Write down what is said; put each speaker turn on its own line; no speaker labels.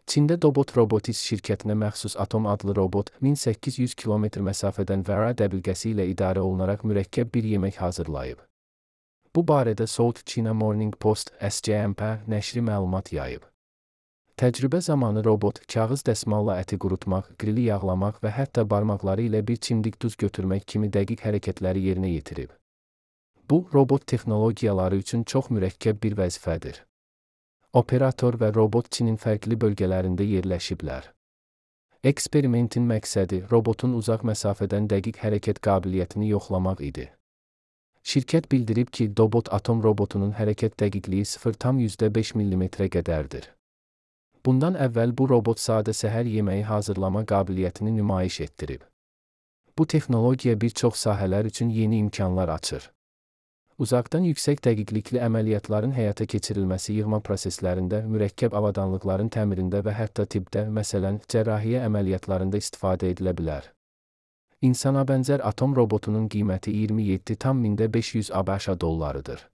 Çində Dobot Robotics şirkətinə məxsus Atom adlı robot 1800 kilometr məsafədən Vara dəbilqəsi ilə idarə olunaraq mürəkkəb bir yemək hazırlayıb. Bu barədə South China Morning Post (SCMP) nəşri məlumat yayıb. Təcrübə zamanı robot kağız dəsmalla əti qurutmaq, grili yağlamaq və hətta barmaqları ilə bir çimdik duz götürmək kimi dəqiq hərəkətləri yerinə yetirib. Bu, robot texnologiyaları üçün çox mürəkkəb bir vəzifədir. Operator və robot Çinin fərqli bölgələrində yerləşiblər. Eksperimentin məqsədi robotun uzaq məsafədən dəqiq hərəkət qabiliyyətini yoxlamaq idi. Şirkət bildirib ki, Dobot Atom robotunun hərəkət dəqiqliyi 0,5 mm-ə qədərdir. Bundan əvvəl bu robot sadə səhər yeməyi hazırlama qabiliyyətini nümayiş etdirib. Bu texnologiya bir çox sahələr üçün yeni imkanlar açır. Uzaqdan yüksək dəqiqlikli əməliyyatların həyata keçirilməsi yığma proseslərində, mürəkkəb avadanlıqların təmirində və hətta tibbdə, məsələn, cərrahiyyə əməliyyatlarında istifadə edilə bilər. İnsana bənzər Atom robotunun qiyməti 27,500 ABŞ dollarıdır.